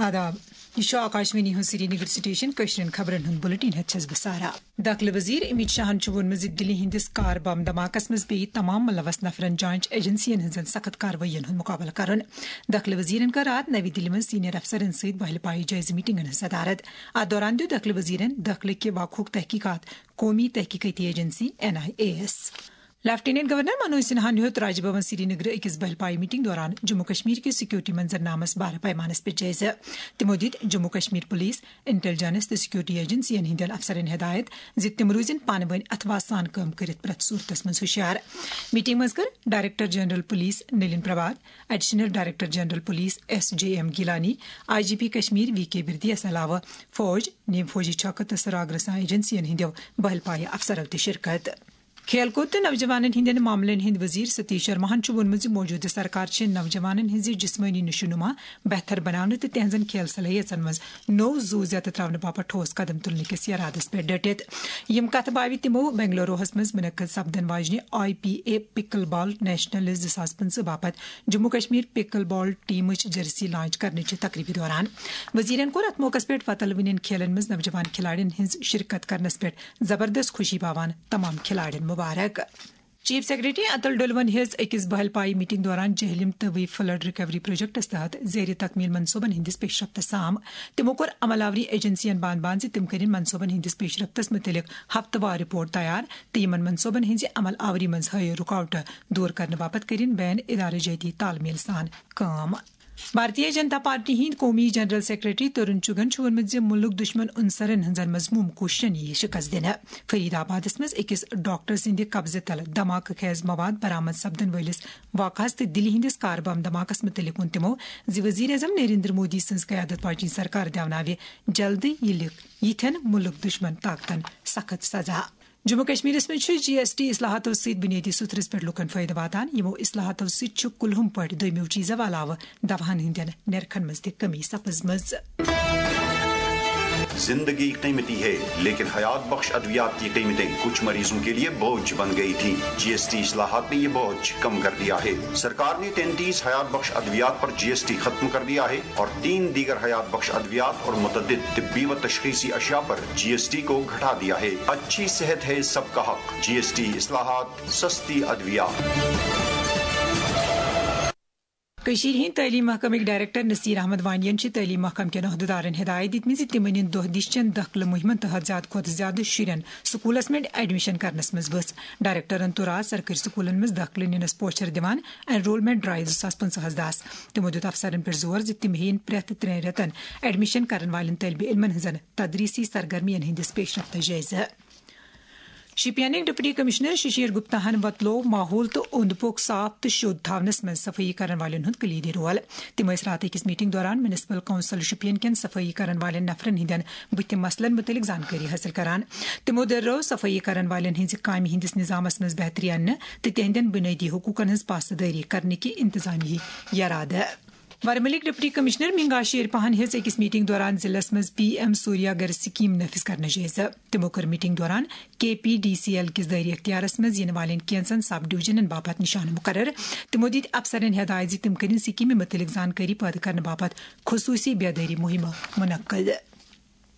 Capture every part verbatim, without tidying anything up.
آداب، یہِ چھُ آکاشوانی ہُنٛد سرینگر سٹیشن۔ کٲشرٮ۪ن خبرن ہُنٛد بُلٹن ہٮ۪تھ چھَس بہٕ سارا۔ دٲخلہٕ وزیر امت شاہن چھُ ووٚنمُت زِ دِلہِ ہٕنٛدِس کار بم دھماکس منٛز پیٚیہِ تمام ملوث نفرن جانچ ایجنسین ہٕنٛزن سخت کاروٲیین ہُنٛد مُقابلہٕ کرُن۔ دٲخلہٕ وزیرن کٔر راتھ نٔوی دِلہِ منٛز سینئر افسرن سۭتۍ بہلہِ پایہِ جٲیزٕ میٹنگن ہٕنٛز صدارت۔ اتھ دوران دیُت دٲخلہٕ وزیرن دٲخلہٕ کہِ وقوق تحقیقات قومی تحقیقاتی ایجنسی، این آئی اے یس۔ لیفٹیننٹ گورنر منوج سنہاہن ہیوٚت راج بھون سرینگرٕ أکِس بہل پایہِ میٹنگ دوران جموں کشمیر کِس سیکورٹی منظرنامس بارٕ پیمانس پٮ۪ٹھ جٲیزٕ۔ تِمو دِتۍ جموں کشمیر پولیس، انٹیلیجنس تہٕ سیکورٹی ایجنسین ہٕنٛدٮ۪ن افسرن ہدایت زِ تِم روٗزِن پانہٕ وٲنۍ اتھہٕ واس سان کٲم کٔرِتھ پرٛٮ۪تھ صوٗرتس منٛز ہُشیار۔ میٹنگ منٛز کٔر director general police Nalin Prabhat, additional director general police S J M Gilani, I G P Kashmir V K بردیس علاوٕ فوج، نیم فوجی چھکہٕ تہٕ سراغ رساں ایجنسین ہٕنٛدیو بہل پایہِ افسرو تہِ شرکت۔ کھیل کوٗد تہٕ نوجوانن ہٕنٛدٮ۪ن معاملن ہٕنٛدۍ وزیر ستیش شرماہن چھُ ووٚنمُت زِ موجودٕ سرکار چھِ نوجوانن ہٕنٛزِ جسمٲنی نشو نما بہتر بناونہٕ تہٕ تِہنٛزن کھیل صلٲحیژن منٛز نوٚو زُو زیتہٕ تراونہٕ باپتھ ٹھوس قدم تُلنہٕ کِس ارادس پٮ۪ٹھ ڈٔٹِتھ۔ یِم کتھٕ باوِ تِمو بنگلوروہس منٛز منعقد سپدن واجنہِ I P A pickle ball nationals زٕ ساس پٕنٛژٕہ باپتھ جموں کشمیر پکل بال ٹیمٕچ جرسی لانچ کرنٕچہِ تقریبہِ دوران۔ وزیرن کوٚر اتھ موقعس پٮ۪ٹھ وۄتلوٕنٮ۪ن کھیلن منٛز نوجوان کھلاڑین ہٕنٛز شرکت کرنس پٮ۪ٹھ زبردست خوشی باوان تمام کھلاڑین مبارک۔ چیف سیکرٹری اتل ڈولون ہیٚژ أکِس بہل پایہِ میٹنگ دوران جہلم تہٕ وی فلڈ ریکوری پروجیکٹس تحت زیر تکمیل منصوبن ہٕنٛدِس پیش رفتس سام۔ تِمو کوٚر عمل آوری ایجنسین بان بان زِ تِم کٔرِن منصوبن ہٕنٛدِس پیش رفتس مُتعلق ہفتہٕ وار رپورٹ تیار تہٕ یِمن منصوبن ہٕنٛزِ عمل آوری منٛز ہٲیِو رُکاوٹہٕ دور کرنہٕ باپتھ کٔرِن بین ادارٕ جٲتی تال میل سان کٲم۔ بھارتیہ جنتا پارٹی ہٕنٛدۍ قومی جنرل سیکرٹری ترون چُگن چھُ ووٚنمُت زِ مُلک دُشمن عنصرن ہٕنٛزن مضموٗم کوٗششن یِیہِ شِکست دِنہٕ۔ فرید آبادس منٛز أکِس ڈاکٹر سٕنٛدِ قبضہٕ تل دھماکہٕ خیز مواد برآمد سپدن وٲلِس واقعس تہٕ دِلہِ ہٕنٛدِس کار بم دھماکس مُتعلق ووٚن تِمو زِ وزیر اعظم نریندر مودی سٕنٛز قیادت واجنۍ سرکار دِیاوناوِ جلدٕے یہِ لِکھ یِتھٮ۪ن مُلک دُشمن طاقتن سخت سزا۔ جموں کشمیرس منٛز چھُ جی ایس ٹی اصلاحاتو سۭتۍ بنیٲدی ستھرس پٮ۪ٹھ لوٗکن فٲیدٕ واتان۔ یِمو اصلاحاتو سۭتۍ چھُ کُلہُم پٲٹھۍ دوٚیمٮ۪و چیٖزو علاوٕ دواہن ہٕنٛدٮ۪ن نرخن منٛز تہِ کمی سپٕزمٕژ۔ زندگی قیمتی ہے، لیکن حیات بخش ادویات کی قیمتیں کچھ مریضوں کے لیے بوجھ بن گئی تھیں۔ جی ایس ٹی اصلاحات نے یہ بوجھ کم کر دیا ہے۔ سرکار نے تینتیس حیات بخش ادویات پر جی ایس ٹی ختم کر دیا ہے اور تین دیگر حیات بخش ادویات اور متعدد طبی و تشخیصی اشیاء پر جی ایس ٹی کو گھٹا دیا ہے۔ اچھی صحت ہے سب کا حق۔ جی ایس ٹی اصلاحات، سستی ادویات۔ کٔشیٖرِ ہٕنٛدۍ تعلیٖم محکمٕکۍ ڈائریکٹر نصیر احمد وانی ین چھِ تعلیٖم محکمہٕ کٮ۪ن عہدٕدارن ہدایت دِتمٕژ زِ تِم أنِن دۄہ دِش چٮ۪ن دٲخلہٕ مُہِمن تحت زیادٕ کھۄتہٕ زیادٕ شُرٮ۪ن سکوٗلس منٛز ایڈمیشن کرنس منٛز وژھ۔ ڈائریکٹرن توٚر آز سرکٲرۍ سکوٗلن منٛز دٲخلہٕ نِنس پوچھر دِوان انرولمنٹ ڈرائیو زٕ ساس پٕنٛژٕہس دس۔ تِمو دیُت افسرن پٮ۪ٹھ زور زِ تِم ہیٚیِن پرٛٮ۪تھ ترٛٮ۪ن رٮ۪تن ایڈمیشن کرن والٮ۪ن طٲلبہِ علمن ہٕنٛزن تدریسی سرگرمین ہٕنٛدِس پیش رفتس جٲیزٕ۔ شوپینٕکۍ ڈپٹی کمشنر ششیر گپتا ہن وۄتلوو ماحول تہٕ اوٚنٛد پوٚک صاف تہٕ شوٚد تھاونس منٛز صفٲیی کرن والٮ۪ن ہُنٛد کلیدی رول۔ تِم ٲسۍ راتھ أکِس میٹنگ دوران میونسپل کونسل شوپین کٮ۪ن صفٲیی کرن والٮ۪ن نفرن ہٕنٛدٮ۪ن بُتھِ مسلن مُتعلق زانکٲری حٲصِل کران۔ تِمو دٔرٲو صفٲیی کرن والٮ۪ن ہٕنٛزِ کامہِ ہٕنٛدِس نظامس منٛز بہتری اننہٕ تہٕ تِہنٛدٮ۪ن بُنیٲدی حقوقن ہٕنٛز پاسدٲری کرنہٕ کہِ انتظامیہٕکۍ یرادٕ۔ ورمُلٕکۍ ڈپٹی کمشنر مینگا شیر پہن ہیٚژ أکِس میٹنگ دوران ضلعس منٛز پی ایم سوریا گھر سکیم نافذ کرنٕچ جٲیزٕ۔ تِمو کٔر میٹنگ دوران کے پی ڈی سی ایل کِس دٲیرٕ اختیارس منٛز یِنہٕ والٮ۪ن کینژن سب ڈویژنن باپتھ نشانہٕ مقرر۔ تِمو دِتۍ افسرن ہدایت زِ تِم کٔرِن سکیمہِ مُتعلق زانکٲری پٲدٕ کرنہٕ باپتھ خصوصی بیدٲری مُہِمہٕ منعقد۔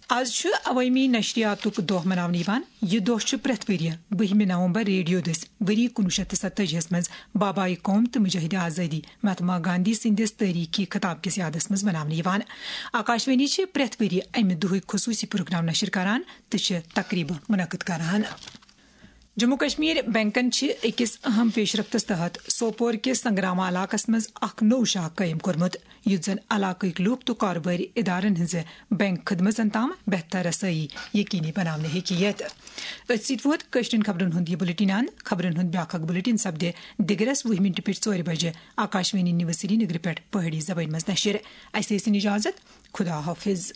از چھُ عوٲمی نشریاتُک دۄہ مناونہٕ یِوان۔ یہِ دۄہ چھُ پرٛٮ۪تھ ؤرۍ یہِ بٔہمہِ نومبر ریڈیو دٔسۍ ؤری کُنوُہ شیٚتھ تہٕ ستٲجی ہس منٛز بابائے قوم تہٕ مجاہد آزادی مہاتما گاندھی سٕنٛدِس تٲریٖخی خطاب کِس یادس منٛز مناونہٕ یِوان۔ آکاشوانی چھِ پرٛٮ۪تھ ؤرۍ یہِ امہِ دۄہٕکۍ خصوٗصی پروگرام نشر کران تہٕ چھِ تقریبہٕ منعقد کران۔ جموں کشمیر بینکن چھِ أکِس اہم پیشرفتس تحت سوپور کِس سنگراما علاقس منٛز اکھ نوٚو شاخ قٲیِم کوٚرمُت، یُتھ زن علاقٕکۍ لوٗکھ تہٕ کارٕبٲرۍ ادارن ہٕنٛزِ بینک خدمژن تام بہتر رسٲیی یقینی بناونہٕ ہیٚکہِ یِتھ۔ أتھۍ سۭتۍ ووت کٲشرٮ۪ن خبرن ہُنٛد یہِ بُلٹن اند۔ خبرن ہُنٛد بیٛاکھ اکھ بُلٹن سپدِ دِگرس وُہہِ مِنٹہِ پٮ۪ٹھ ژورِ بجہِ آکاشوانی نیوز سرینگرٕ پٮ۪ٹھ پہٲڑی زبٲنۍ منٛز نشر۔ اسہِ ٲسِن اجازت۔ خدا حافظ۔